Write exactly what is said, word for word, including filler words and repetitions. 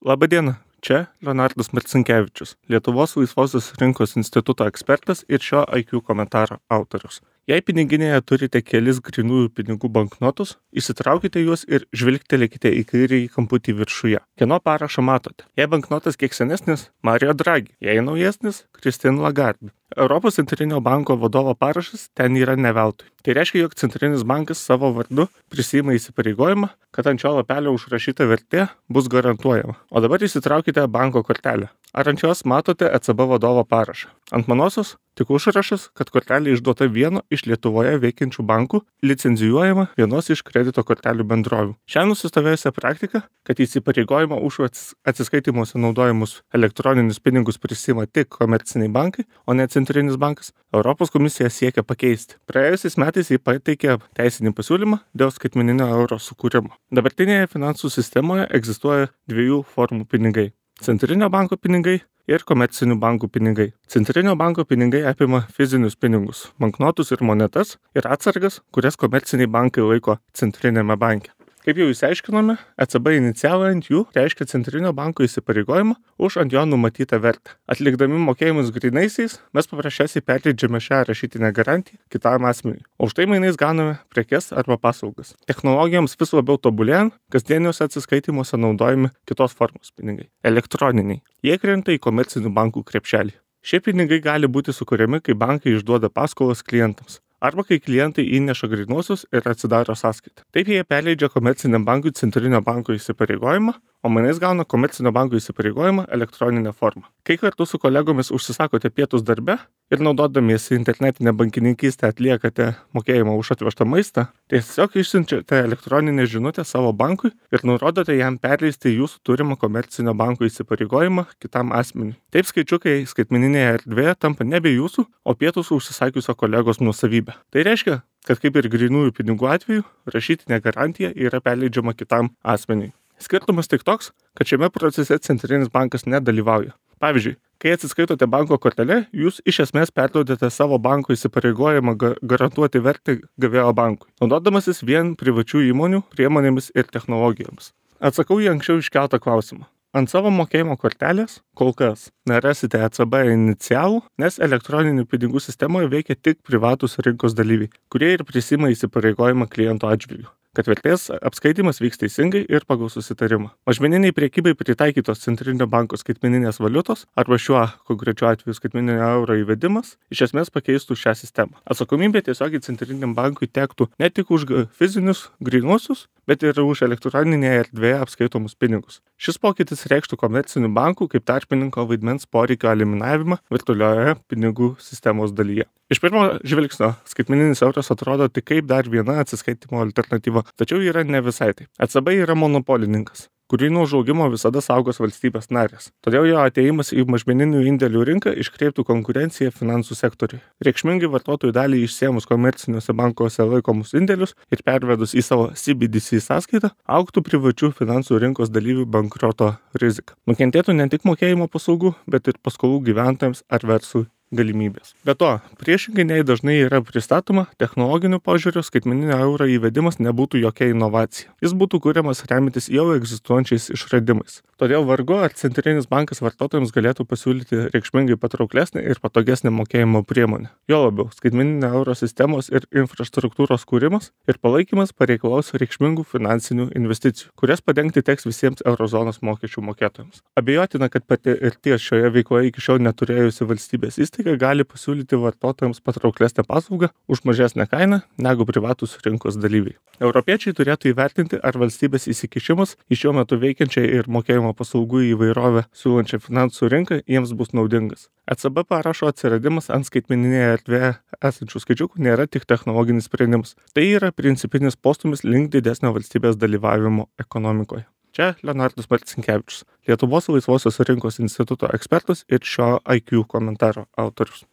Labadiena, čia Leonardas Marcinkevičius, Lietuvos laisvosios rinkos instituto ekspertas ir šio I Q komentaro autorius. Jei piniginėje turite kelis grynųjų pinigų banknotus, įsitraukite juos ir žvilgtelėkite į kairįjį kamputį viršuje. Kieno parašą matote? Jei banknotas kiek senesnis, Mario Draghi, jei naujesnis, Christine Lagarde. Europos centrinio banko vadovo parašas ten yra ne veltui. Tai reiškia, jog centrinis bankas savo vardu prisiima įsipareigojimą, kad ant šio lapelio užrašyta vertė bus garantuojama. O dabar įsitraukite banko kortelę. Ar ant jos matote E C B vadovo parašą? Ant manosios tik užrašas, kad kortelė išduota vieno iš Lietuvoje veikiančių bankų, licenzijuojama vienos iš kredito kortelių bendrovių. Šią nusistovėjusią praktiką, kad įsipareigojimą už atsiskaitimuose naudojimus elektroninius pinigus prisima tik komerciniai bankai, o ne centrinis bankas, Europos komisija siekia pakeisti. Praėjusiais metais jį pateikė teisinį pasiūlymą dėl skaitmeninio euro sukūrimo. Dabartinėje finansų sistemoje egzistuoja dviejų formų pinigai. Centrinio banko pinigai ir komercinių bankų pinigai. Centrinio banko pinigai apima fizinius pinigus, banknotus ir monetas ir atsargas, kurias komerciniai bankai laiko centrinėme banke. Kaip jau išsiaiškinome, E C B inicijavo ant jų reiškia centrinio banko įsipareigojimą už ant jo numatytą vertę. Atlikdami mokėjimus grynaisiais, mes paprasčiausiai perleidžiame šią rašytinę garantiją kitam asmeniui. O už tai mainais gauname prekes arba paslaugas. Technologijoms vis labiau tobulėjant, kasdieniuose atsiskaitimuose naudojami kitos formos pinigai – elektroniniai. Jie krenta į komercinių bankų krepšelį. Šie pinigai gali būti sukuriami, kai bankai išduoda paskolas klientams. Arba kai klientai įneša grynuosius ir atsidaro sąskaitą. Taip jie perleidžia komerciniam bankui centrinio banko įsipareigojimą, o mainais gauna komercinio banko įsipareigojimą elektroninę formą. Kai kartu su kolegomis užsisakote pietus darbe ir naudodamiesi internetinę bankininkystę atliekate mokėjimą už atvežtą maistą, tiesiog išsiunčiate elektroninę žinutę savo bankui ir nurodote jam perleisti jūsų turimą komercinio banko įsipareigojimą kitam asmeniui. Taip skaičiukai skaitmeninėje erdvėje tampa nebe jūsų, o pietus užsisakiusio kolegos nuosavybė. Tai reiškia, kad kaip ir grynųjų pinigų atveju, rašytinė garantija yra perleidžiama kitam asmeniui. Skirtumas tik toks, kad šiame procese centrinis bankas nedalyvauja. Pavyzdžiui, kai atsiskaitote banko kortelę, jūs iš esmės perduodate savo banko įsipareigojimą garantuoti vertę gavėjo bankui, naudodamasis vien privačių įmonių priemonėmis ir technologijomis. Atsakau į anksčiau iškeltą klausimą. Ant savo mokėjimo kortelės kol kas nerasite E C B inicialų, nes elektroninių pinigų sistemoje veikia tik privatūs rinkos dalyviai, kurie ir prisima įsipareigojimą kliento atžvilgiu, kad vertės apskaitimas vyks teisingai ir pagal susitarimą. Mažmeniniai priekybai pritaikytos centrinio banko skaitmeninės valiutos arba šiuo konkrečiu atveju skaitmeninio euro įvedimas iš esmės pakeistų šią sistemą. Atsakomybė tiesiogiai centriniam bankui tektų ne tik už fizinius grynuosius, bet ir už elektroninėje erdvėje apskaitomus pinigus. Šis pokytis reikštų komercinių bankų kaip tarpininko vaidmens poreikio eliminavimą virtualioje pinigų sistemos dalyje. Iš pirmo žvilgsnio skaitmeninis euras atrodo tik kaip dar viena atsiskaitimo alternatyva, tačiau yra ne visai taip. E C B yra monopolininkas, kurį nuo užaugimo visada saugos valstybės narės. Todėl jo atėjimas į mažmeninių indėlių rinką iškreiptų konkurenciją finansų sektoriui. Reikšmingai vartotojų dalį išsėmus komerciniuose bankuose laikomus indėlius ir pervedus į savo C B D C sąskaitą, augtų privačių finansų rinkos dalyvių bankroto rizika. Nukentėtų ne tik mokėjimo paslaugų, bet ir paskolų gyventojams ar verslui galimybės. Be to, priešingai nei dažnai yra pristatoma, technologiniu požiūriu skaitmeninio euro įvedimas nebūtų jokia inovacija. Jis būtų kuriamas remiantis jau egzistuojančiais išradimais. Todėl vargu ar centrinis bankas vartotojams galėtų pasiūlyti reikšmingai patrauklesnę ir patogesnę mokėjimo priemonę. Jo labiau, skaitmeninio euro sistemos ir infrastruktūros kūrimas ir palaikymas pareikalaus reikšmingų finansinių investicijų, kurias padengti teks visiems eurozonos mokesčių mokėtojams. Abejotina, kad patirties šioje veikloje iki šiol neturėjusi valstybės įstaiga gali pasiūlyti vartotojams patrauklesnę paslaugą už mažesnę kainą negu privatūs rinkos dalyviai. Europiečiai turėtų įvertinti, ar valstybės įsikišimas į šiuo metu veikiančią ir mokėjimo paslaugų įvairovę siūlančią finansų rinką jiems bus naudingas. E C B parašo atsiradimas ant skaitmeninėje erdvėje esančių skaičiukų nėra tik technologinis sprendimas. Tai yra principinis postūmis link didesnio valstybės dalyvavimo ekonomikoje. Čia Leonardas Marcinkevičius, Lietuvos laisvosios rinkos instituto ekspertas ir šio I Q komentaro autorius.